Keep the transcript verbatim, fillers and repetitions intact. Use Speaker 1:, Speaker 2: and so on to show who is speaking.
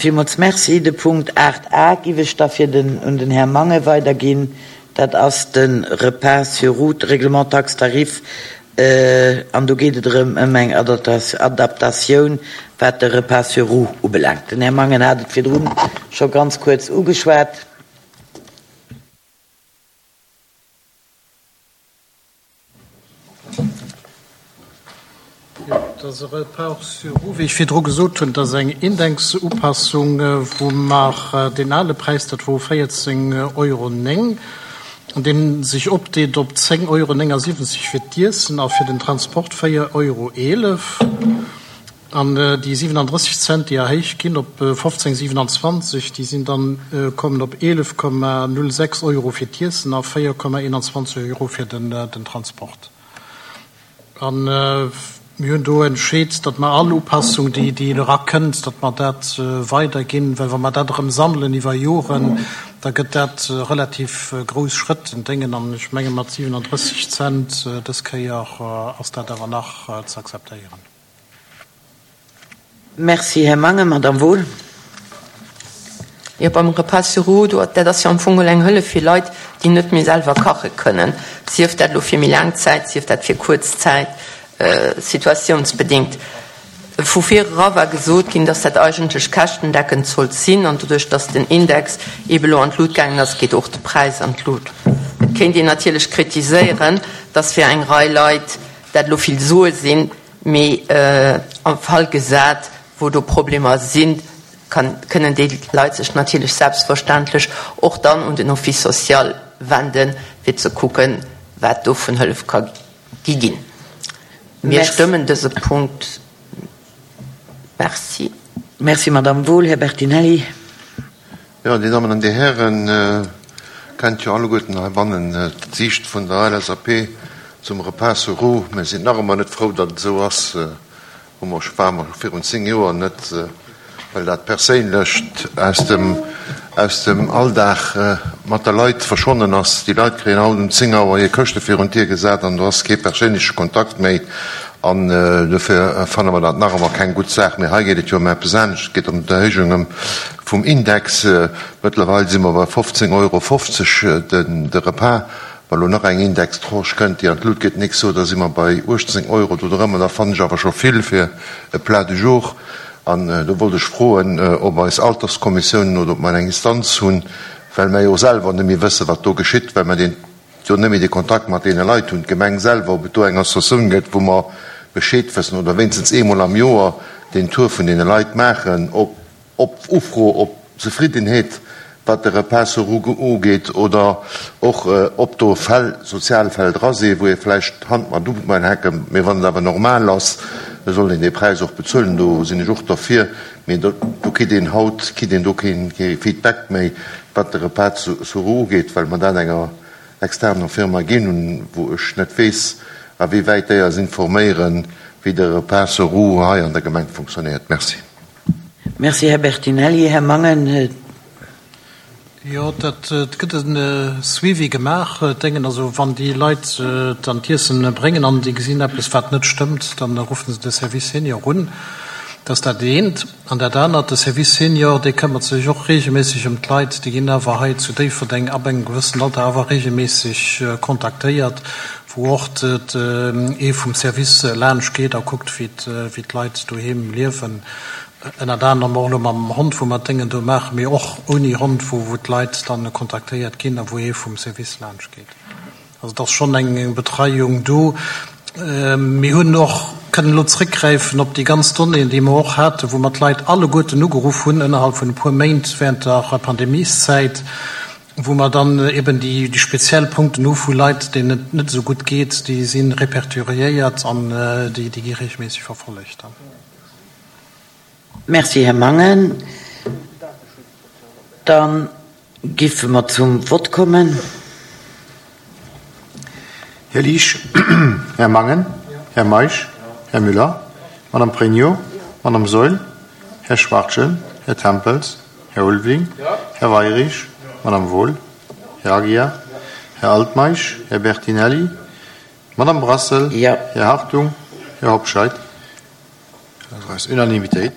Speaker 1: Villmools Merci. De Punkt aacht A giff ech da fir den, un den Här Mangen weiderginn. Dat ass de Repas sur route, Règlement taxe tarif. An do geet et erëm ëm eng Adaptatioun, wat de Repas sur roue ubelaangt. Den Här Mangen hat et virdrun scho ganz kuerz ugeschwat.
Speaker 2: Jo, dat ass e Repas sur roue, wéi ech virdru gesot hunn. Dat ass eng Indexupassung, wou mer deen ale Präis, dat wor véierzéng Euro néng, an dee sech opdeelt op zéng Euro néngasiwwenzeg fir d'Iessen a fir den Transport véier Euro eelef. An déi siwenandrësseg Cent, déi erhéicht ginn op fofzéng siwenanzwanzeg, déi sinn dann, kommen op eelef Komma null sechs Euro fir d'Iessen a véier Komma eenanzwanzeg Euro fir den Transport. An mir hunn do entscheet, datt mer all Upassung, déi déi erakënnt, datt mer dat weiderginn, well wa mer dat erëm sammelen iwwer Joren, da gëtt dat relativ grouss Schrëtt en Déngen. An ech menge mat siwenandrësseg Cent dës Kéier ass dat awer nach ze akzeptéieren.
Speaker 1: Merci, Här Mangen. Madame Wohl.
Speaker 3: Jo, beim Repas sur roues, do, dat ass jo am Fong geholl eng Hëllef fir Leit, déi net méi selwer kache kënnen, sief dat elo fir méi laang Zäit, sief dat fir kuerz Zäit, situatiounsbedingt. Vu vir era war gesot ginn, dass dat eigentlech käschtendeckend sollt sinn, an doduerch, dass den Index eebe elo an d'Lut gaangen ass, geet och de Präis an d'Lut. Et kéint een natierlech kritiséieren, dass fir eng Rei Leit dat elo vill Sue sinn, mee am Fall gesat, wou do Problemer sinn, kann, kënnen déi Leit sech natierlech selbstverständlech och dann un den Office social wenden, fir ze kucken, wat do vun Hëllef ka gi ginn. Mir stëmmen dëse Punkt. Merci.
Speaker 1: Merci, Madame Wohl. Här Bertinelli.
Speaker 4: Jo, Dir Dammen an Dir Hären, kennt jo alleguerten heibannen d'Siicht vun der L S A P zum Repas sur roues. Mir sinn nach ëmmer net frou, datt et esou ass. Hu mer scho, ware mer scho virun zéng Joer net, well dat Perséinlecht aus dem, aus dem Alldag mat de Leit verschwonnen ass. Déi Leit kréien haut um zéng Auer hir Këschte virun d'Dier gesat an do ass kee perséinleche Kontakt méi. An dofir fanne mer dat nach ëmmer keng gutt Saach. Mee hei geet et jo ëm eppes anescht. Et geet ëm d'Erhéijung vum Index. Mëttlerweil si mer bei fofzéng Euro fofzeg de Repas. Wa lo nach eng Indextranche kënnt, déi an d'Lut geet, nächst Joer, da si mer bei uechtzéng Euro do drëmmer. Da fannen ech awer scho vill fir e Plat du jour. An do wollt ech froen, ob eis Alterskommissiounen oder ob mer eng Instanz hunn, well mer jo selwer net méi wëssen, wat do geschitt, well mer deen jo net méi de Kontakt mat deene Leit hunn, d'Gemeng selwer, ob et do eng Associatioun gëtt, wou mer Bescheed wëssen oder wéinstens eemol am Joer den Tour vun deene Leit maachen, ob op Ufro, op Zefriddenheet, wat de Repas sur roues ugeet, oder och ob do Fäll, Sozialfäll dra sinn, wou ee vläicht d'Hand mat upaken, mee wann et awer normal ass, da soll een dee Präis och bezuelen, do sinn ech och derfir, mee do kritt een haut, kritt een do keen Feedback méi, wat de Repas sur roues ugeet, well mer dat enger externer Firma ginn hunn, wou ech net weess, a wéi wäit déi eis informéieren, wéi de Repas sur roues hei an der Gemeng funktionéiert. Merci.
Speaker 1: Merci, Här Bertinelli. Här Mangen.
Speaker 2: Jo, dat gëtt e Suivi gemaach. Déngen, also wann déi Leit dann d'Iessen bréngen an déi gesinn eppes, wat net stëmmt, dann ruffen se de Service Senior un. Dat ass dat eent. An dat anert, de Service Senior, dee këmmert sech och regelméisseg ëm d'Leit. Déi ginn awer hei zu Déifferdeng ab engem gewëssenen Alter awer regelméisseg kontaktéiert, wou och ee vum Service laanscht geet a kuckt, wéi d'Leit doheem liewen. Ënnert anerem och elo mam Hond, wou mer d'Déngen do maachen, mee och ouni Hond, wou wou d'Leit dann kontaktéiert ginn a wou ee vum Service laanscht geet. Also et ass schonn eng Betreiung do. Mir hunn och kënnen elo zréckgräifen op déi ganz Donnéeën, déi mer och haten, wou mer d'Leit alleguerten ugeruff hunn ënnerhalb vun e puer Méint während der Pandemieszäit, wou mer dann eben déi speziell Punkten hu vu Leit, deenen et net esou gutt geet, déi si répertoriéiert an déi gi regelméisseg verfollegt dann.
Speaker 1: Merci, Här Mangen. Dann giffe mer zum Vott kommen.
Speaker 5: Här Liesch, Här Mangen, Här Meisch, Här Müller, Madame Pregno, Madame Saeul, Här Schwachtgen, Här Tempels, Här Ulveling, Här Weyrich, Madame Wohl, Här Aguiar, Här Altmeisch, Här Bertinelli, Madame Brassel,
Speaker 1: Ja.
Speaker 5: Här Hartung, Här Hobscheit. Das ist Unanimitéit.